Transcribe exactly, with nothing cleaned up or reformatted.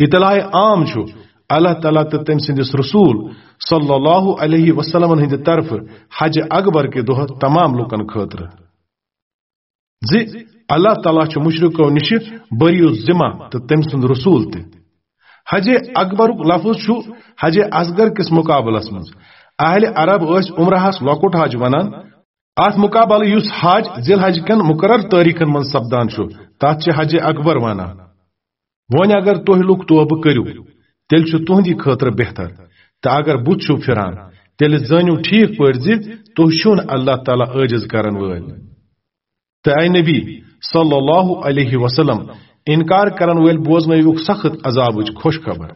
اطلاع عام چھُ اللہ تعالیٰ تہٕ تٔمۍ سٕنٛدِس رسول صلی اللہ علیہ وسلمن ہٕنٛدِ طرفہٕ حج اکبر کہِ دۄہ تمام لوٗکن خٲطرٕ، زِ اللہ تعالیٰ چھُ مشرکو نِشہِ بری الذمہ تہٕ تٔمۍ سُنٛد رسول تہِ۔ حج اکبرُک لفظ چھُ حج اصغر کِس مقابلس منٛز۔ اہل عرب ٲسۍ عمرہس لۄکُٹ حج ونان۔ اتھ مقابلہٕ یُس حج ذی الحج کٮ۪ن مقرر تٲریخن منٛز سپدان چھُ، تتھ چھِ حج اکبر ونان۔ وۄنۍ اگر تُہۍ لُکھ توبہٕ کٔرِو، تیٚلہِ چھُ تُہنٛدِ خٲطرٕ بہتر، تہٕ اگر بُتھ چھِو پھِران، تیٚلہِ زٲنِو ٹھیٖک پٲٹھۍ زِ تُہۍ چھِو نہٕ اللہ تعالیٰ عٲجز کرن وٲلۍ۔ تہٕ اے نبی صلی اللہ علیہ وسلم، انکار کرن وٲلۍ بوزنٲیوُکھ سخت عذابٕچ خوش خبر۔